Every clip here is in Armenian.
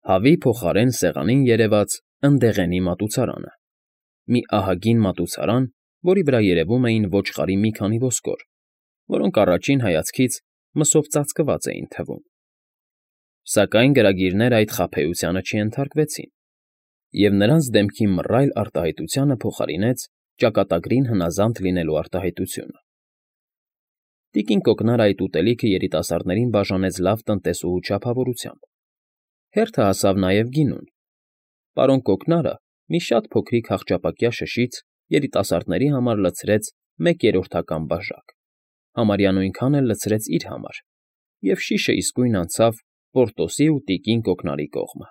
Հավի փոխարեն սեղանին երևաց ընդեղենի մատուցարանը, մի ահագին մատուցարան, որի վրա երևում էին ոչխարի մի քանի ոսկոր, որոնք առաջին հայացքից մսով ծածկված էին թվում. Սակայն գրագիրները այդ խաբեությանը չենթարկվեցին, և նրանց դեմքի մռայլ արտահայտությանը փոխարինեց ճակատագրին հնազանդ լինելու արտահայտությունը։ Տիկին կոկնարը այդ ուտելիքը երիտասարդներին բաժանեց լավ տնտեսուհու չափավորությամբ, հերթը հասավ նաև գինուն։ Պարոն Կոկնարը մի շատ փոքրիկ հախճապակյա շշից երիտասարդների համար լցրեց 1/3 բաժակ, համարյա նույնքան էլ լցրեց իր համար, և շիշը իսկույն անցավ Պորտոսի ու տիկին Կոկնարի կողմը։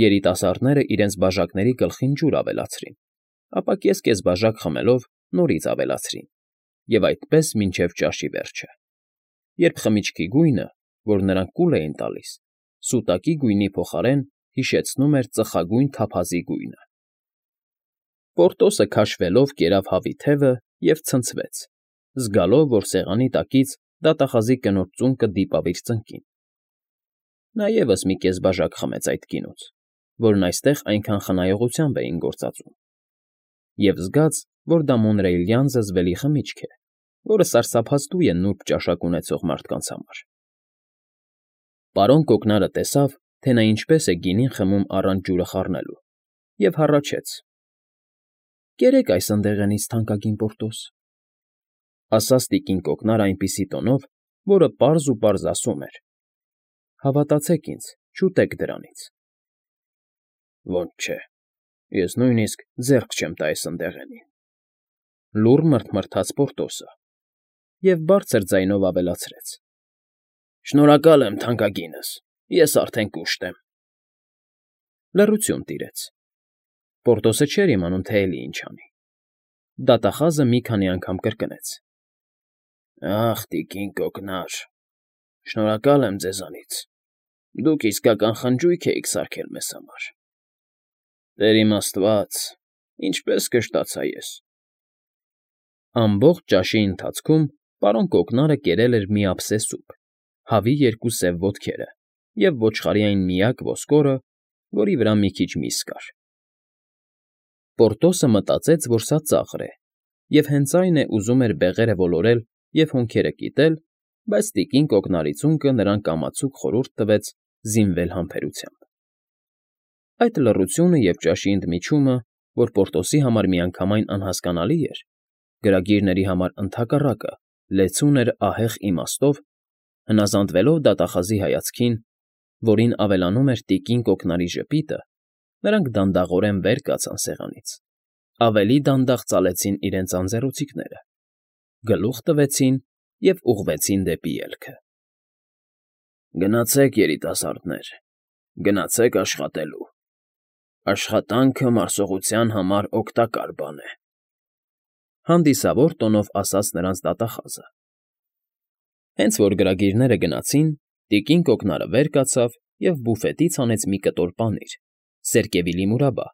Երիտասարդները իրենց բաժակների գլխին ջուր ավելացրին, ապա կես բաժակ խմելով նորից ավելացրին, և այդպես մինչև ճաշի վերջը, երբ խմիչքի գույնը, որ նրանք կուլ էին տալիս, սուտակի գույնի փոխարեն հիշեցնում էր ծխագույն թափազի գույնը։ Պորտոսը քաշվելով կերավ հավի թևը և ցնցվեց, զգալով, որ սեղանի տակից դատախազի կնոջ ծունկը դիպավ իր ծնկին։ Նա ևս մի կես բաժակ խմեց այդ գինուց, որն այստեղ այնքան խնայողությամբ էին գործածում, և զգաց, որ դա մոնրեյլյան զզվելի խմիչք է, որը սարսափազդու է նուրբ ճաշակ ունեցող մարդկանց համար։ Պարոն Կոկնարը տեսավ, թե նա ինչպես է գինին խմում առանց ջուրը խառնելու, և հառաչեց. «Կերեք այս ընդեղենից, թանկագին Պորտոս», ֊ ասաց տիկին Կոկնարը այնպիսի տոնով, որը պարզ ու պարզ ասում էր. «Հավատացեք ինձ, չուտեք դրանից»։ «Ոնց չէ, ես նույնիսկ ձեռք չեմ տա այս ընդեղենին», ֊ լուռ մռթմռթաց Պորտոսը և բարձր ձայնով ավելացրեց. «Շնորհակալ եմ, թանկագինս, ես արդեն կուշտ եմ»։ Լռություն տիրեց։ Պորտոսը չէր իմանում, թե էլի ինչ անի։ Դատախազը մի քանի անգամ կրկնեց. «Ախ, տիկին Կոկնար, շնորհակալ եմ ձեզանից, դուք իսկական խնջույք էիք սարքել մեզ համար։ Տեր իմ Աստված, ինչպես կշտացա ես»։ Ամբողջ ճաշի ընթացքում պարոն Կոկնարը կերել էր մի ափսե սուփ, հավի 2 սև ոտքերը և ոչխարի այն միակ ոսկորը, որի վրա մի քիչ միս կար։ Պորտոսը մտածեց, որ սա ծաղր է, և հենց այն է, ուզում էր բեղերը ոլորել և հոնքերը կիտել, բայց տիկին Կոկնարի ծունկը նրան կամացուկ խորհուրդ տվեց զինվել համբերությամբ։ Այդ լռությունը և ճաշի ընդմիջումը, որ Պորտոսի համար միանգամայն անհասկանալի էր, գրագիրների համար ընդհակառակը լեցուն էր ահեղ իմաստով, հնազանդվելով դատախազի հայացքին, որին ավելանում էր տիկին Կոկնարի ժպիտը, նրանք դանդաղորեն վեր կացան սեղանից, ավելի դանդաղ ծալեցին իրենց անձեռոցիկները, գլուխ տվեցին և ուղղվեցին դեպի ելքը։ «Գնացեք, երիտասարդներ, գնացեք աշխատելու։ Աշխատանքը մարսողության համար օգտակար բան է», ֊ հանդիսավոր տոնով ասաց նրանց դատախազը։ Հենց որ գրագիրները գնացին, տիկին Կոկնարը վեր կացավ և բուֆետից հանեց մի կտոր պանիր, սերկևիլի մուրաբա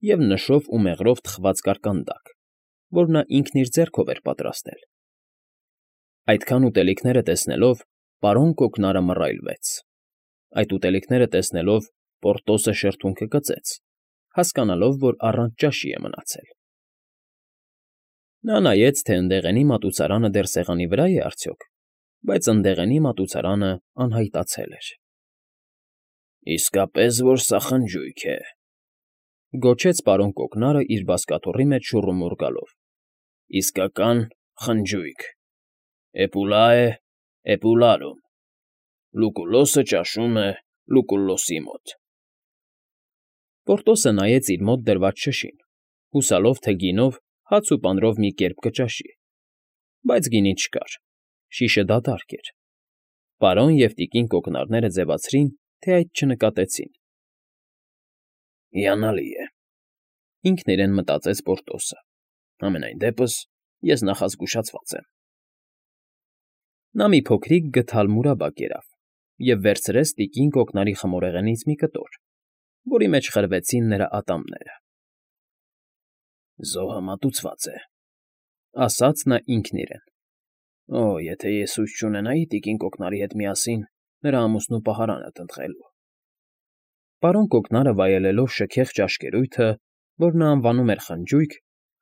և նշով ու մեղրով թխված կարկանդակ, որ նա ինքն իր ձեռքով էր պատրաստել։ Այդքան ուտելիքները տեսնելով պարոն Կոկնարը մռայլվեց։ Այդ ուտելիքները տեսնելով Պորտոսը շրթունքը կծեց, հասկանալով, որ առանց ճաշի է մնացել։ Նա նայեց, թե ընդեղենի մատուցարանը դեռ սեղանի վրա է արդյոք, բայց ընդեղենի մատուցարանը անհայտացել էր։ «Իսկապես որ սա խնջույք է», ֊ գոչեց պարոն Կոկնարը իր բազկաթոռի մեջ շուռումուռ գալով։ «Իսկական խնջույք։ Էպուլա է էպուլարում. Լուկուլոսը ճաշում է Լուկուլոսի մոտ»։ Պորտոսը նայեց իր մոտ դրված շշին, հուսալով, թե գինով հաց ու պանրով մի կերպ կճաշի, բայց գինի չկար, շիշը դատարկ էր։ Պարոն և տիկին Կոկնարները ձևացրին, թե այդ չնկատեցին։ «Հիանալի է», ֊ ինքն իրեն մտածեց Պորտոսը, «համենայն դեպս ես նախազգուշացված եմ»։ Նա մի փոքրիկ գդալ մուրաբա կերավ և վերցրեց տիկին Կոկնարի խմորեղենից մի կտոր, որի մեջ խրվեցին նրա ատամները։ «Զոհը մատուցված է», ֊ ասաց նա ինքն իրեն։ «Օ, եթե ես հույս չունենայի տիկին Կոկնարի հետ միասին նրա ամուսնու պահարանը տնտղելու»։ Պարոն Կոկնարը վայելելով շքեղ ճաշկերույթը, որ նա անվանում էր խնջույք,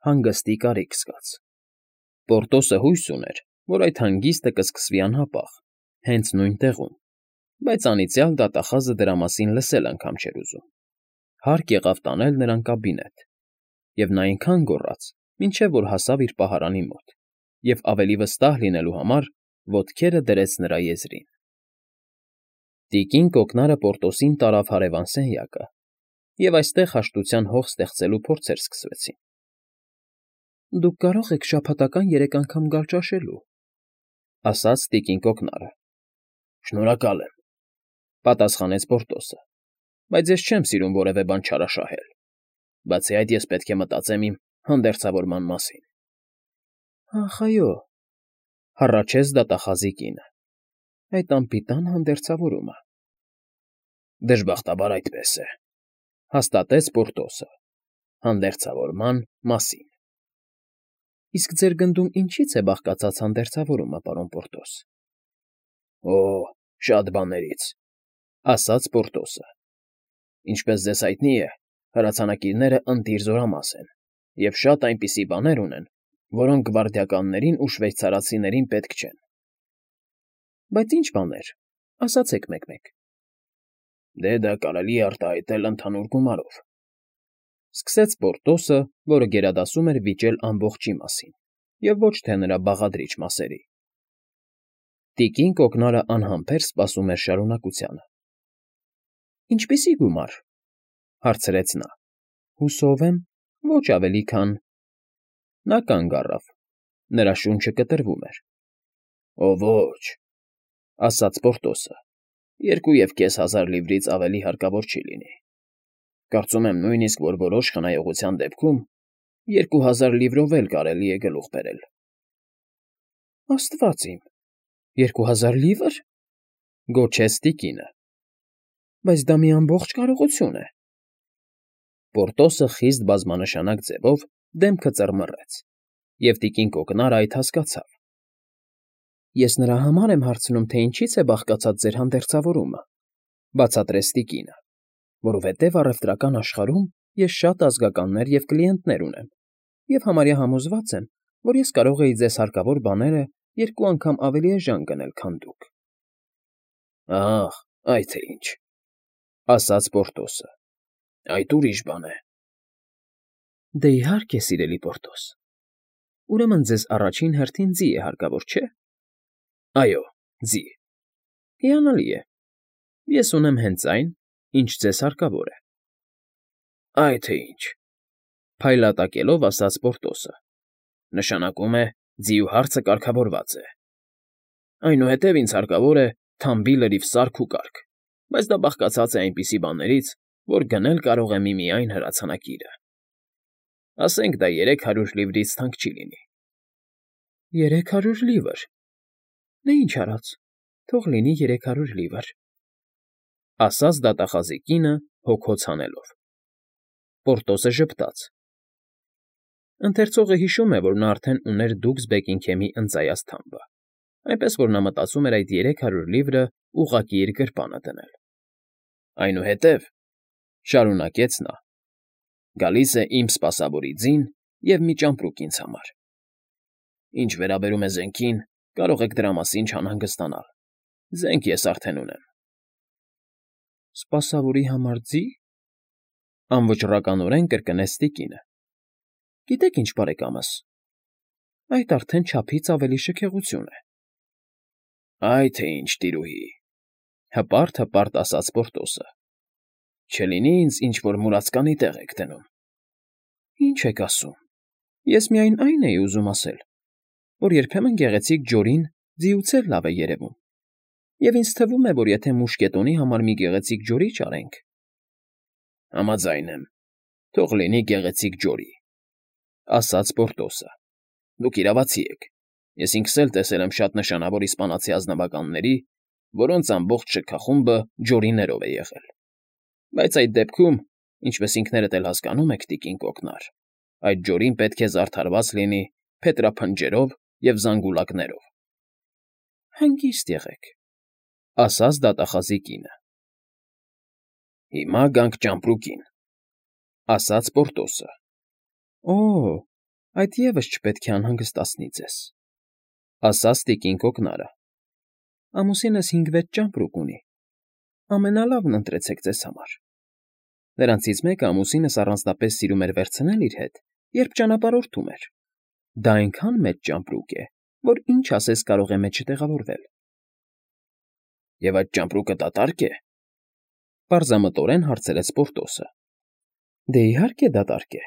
հանգստի կարիք զգաց։ Պորտոսը հույս ուներ, որ այդ հանգիստը կսկսվի անհապաղ, հենց նույն տեղում, բայց անիծյալ դատախազը դրա մասին լսել անգամ չէր ուզում։ Հարկ եղավ տանել նրան կաբինետ, և նա այնքան գոռաց, մինչև որ հասավ իր պահարանի մոտ, և ավելի վստահ լինելու համար ոտքերը դրեց նրա եզրին։ Տիկին Կոկնարը Պորտոսին տարավ հարևան սենյակը, և այստեղ հաշտության հող ստեղծելու փորձեր սկսվեցին։ «Դուք կարող եք շաբաթական 3 անգամ գալ ճաշելու», ասաց տիկին Կոկնարը։ «Շնորհակալ եմ», պատասխանեց Պորտոսը, «բայց ես չեմ սիրում որևէ բան չարաշահել։ Բացի այդ, ես պետք է մտածեմ իմ հանդերձավորման մասին»։ «Ախ, այո», հառաչեց դատախազի կինը, «այդ անպիտան հանդերձավորումը»։ «Դժբախտաբար այդպես է», հաստատեց Պորտոսը, «հանդերձավորման մասին»։ «Իսկ ձեր գնդում ինչի՞ց է բաղկացած հանդերձավորումը, պարոն Պորտոս»։ «Օ, շատ բաներից», ասաց Պորտոսը։ «Ինչպես ձեզ հայտնի է, հրացանակիրները ընտիր զորամաս են, և շատ այնպիսի բաներ ունեն, որոնք գվարդիականներին ու շվեյցարացիներին պետք չեն»։ «Բայց ինչ բաներ, ասացեք մեկ֊մեկ»։ «Դե դա կարելի է արտահայտել ընդհանուր գումարով», սկսեց Պորտոսը, որը գերադասում էր վիճել ամբողջի մասին, և ոչ թե նրա բաղադրիչ մասերի։ Տիկին Կոկնարը անհամբեր սպասում էր շարունակությանը։ «Ինչպիսի՞ գումար», հարցրեց նա։ «Հուսով եմ, ոչ ավելի քան…» Նա կանգ առավ, նրա շունչը կտրվում էր։ «Օ, ոչ», ասաց Պորտոսը, 2,500 լիվրից ավելի հարկավոր չի լինի։ Կարծում եմ նույնիսկ, որ որոշ խնայողության դեպքում 2000 լիվրով էլ կարելի է գլուխ բերել»։ «Աստված իմ, 2000 լիվր», գոչեց տիկինը։ «Բայց դա մի ամբողջ կարողություն է»։ Պորտոսը խիստ բազմանշանակ ձևով դեմքը ծռմռեց, և տիկին Կոկնարը այդ հասկացավ։ «Ես նրա համար եմ հարցնում, թե ինչից է բաղկացած ձեր հանդերձավորումը», բացատրեց տիկինը, «որովհետև առևտրական աշխարհում ես շատ ազգականներ և կլիենտներ ունեմ, և համարյա համոզված եմ, որ ես կարող էի ձեզ հարկավոր բաները 2 անգամ ավելի էժան գնել, քան դուք»։ «Ահ, այ թե ինչ», ասաց Պորտոսը, «այդ ուրիշ բան է»։ «Դե, իհարկե, սիրելի Պորտոս, ուրեմն ձեզ առաջին հերթին ձի է հարկավոր, չէ՞։ «Այո, ձի»։ «Հիանալի է, ես ունեմ հենց այն, ինչ ձեզ հարկավոր է»։ «Այ թե ինչ», փայլատակելով ասաց Պորտոսը, «նշանակում է, ձիու հարցը կարգավորված է։ Այնուհետև ինձ հարկավոր է թամբի լրիվ սարք ու կարգ, բայց դա բաղկացած է այնպիսի բաներից, որ գնել կարող է միմիայն հրացանակիրը։ Ասենք դա 300 լիվրից թանկ չի լինի»։ «300 լիվր… Դե ինչ արած, թող լինի 300 լիվր», ասաց դատախազի կինը հոգոց հանելով։ Պորտոսը ժպտաց։ Ընթերցողը հիշում է, որ նա արդեն ուներ Դուքս Բեկինգհեմի ընծայած թամբը, այնպես որ նա մտածում էր այդ 300 լիվրը ուղղակի իր գրպանը դնել։ «Այնուհետև», շարունակեց նա, «գալիս է իմ սպասավորի ձին և մի ճամպրուկ ինձ համար։ Ինչ վերաբերում է զենքին, կարող եք դրա մասին չանհանգստանալ, զենք ես արդեն ունեմ»։ «Սպասավորի համար ձի՞», անվճռականորեն կրկնեց տիկինը։ «Գիտեք ինչ, բարեկամս, այդ արդեն չափից ավելի շքեղություն է»։ «Այ թե ինչ, տիրուհի», հպարտ ասաց Պորտոսը, «չլինի ինձ ինչ֊որ մուրացկանի տեղ եք դնում»։ «Ինչ եք ասում, ես միայն այն էի ուզում ասել, որ երբեմն գեղեցիկ ջորին ձիուց էլ լավ է երևում, և ինձ թվում է, որ եթե մուշկետոնի համար մի գեղեցիկ ջորի ճարենք»։ «Համաձայն եմ, թող լինի գեղեցիկ ջորի», ասաց Պորտոսը։ «Դուք իրավացի եք, ես ինքս էլ տեսել եմ շատ նշանավոր իսպանացի ազնվականների, որոնց ամբողջ շքախումբը ջորիներով է եղել։ Բայց այդ դեպքում, ինչպես ինքներդ էլ հասկանում եք, տիկին Կոկնար, այդ ջորին պետք է զարդարված լինի փետրափնջերով և զանգուլակներով»։ «Հանգիստ եղեք», ասաց դատախազի կինը։ Հիմա գանք ճամպրուկին, ասաց Պորտոսը։ Օ, այդ ևս չպետք է անհանգստացնի ձեզ, ասաց տիկին կոկնարը։ Ամուսինս 5-6 ճամպրուկ ունի, ամենալավն ընտրեցեք ձեզ համար։ Նրանցից մեկը ամուսինս առանձնապես սիրում էր վերցնել իր հետ, երբ ճանապարհորդում էր։ Դա այնքան մեծ ճամպրուկ է, որ ինչ ասես կարող է մեջը տեղավորվել։ Եվ այդ ճամպրուկը դատարկ է, պարզամտորեն հարցրեց Պորտոսը։ Դե իհարկե դատարկ է,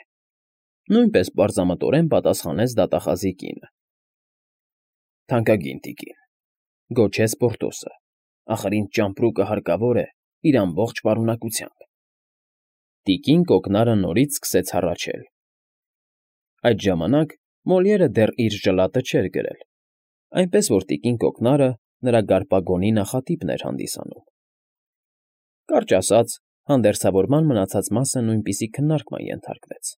նույնպես պարզամտորեն պատասխանեց դատախազի կինը։ Թանկագին տիկին, գոչեց Պորտոսը, ախր ինձ ճամպրուկը հարկավոր է իր ամբողջ պարունակությամբ։ Տիկին կոկնարը նորից սկսեց հառաչել։ Այդ ժամանակ Մոլիերը դեռ իր ժլատը չէր գրել, այնպես որ տիկին կոկնարը նրա գարպագոնի նախատիպն էր հանդիսանում։ Կարճ ասած, հանդերձավորման մնացած մասը նույնպիսի քննարկման ենթարկվեց,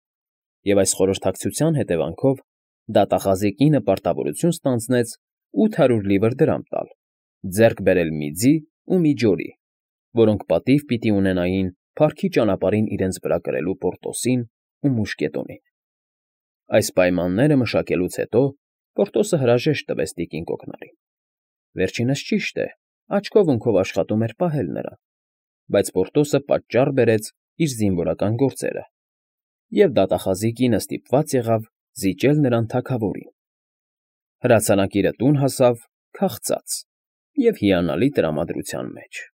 և այս խորհրդակցության հետևանքով դատախազի կինը պարտավորություն ստանձնեց 800 լիվր դրամ տալ, ձեռք բերել մի ձի ու մի ջորի, որոնք պատիվ պիտի ունենային փառքի ճանապարհին իրենց վրա կրելու Պորտոսին ու Մուշկետոնին։ Այս պայմանները մշակելուց հետո Պորտոսը հրաժեշտ տվեց տիկին կոկնարին։ Վերջինս ճիշտ է, աչքով֊ունքով աշխատում էր պահել նրան, բայց Պորտոսը պատճառ բերեց իր զինվորական գործերը, և դատախազի կինը ստիպված եղավ զիջել նրան թագավորին։ Հրացանակիրը տուն հասավ քաղցած և հիանալի տրամադրության մեջ։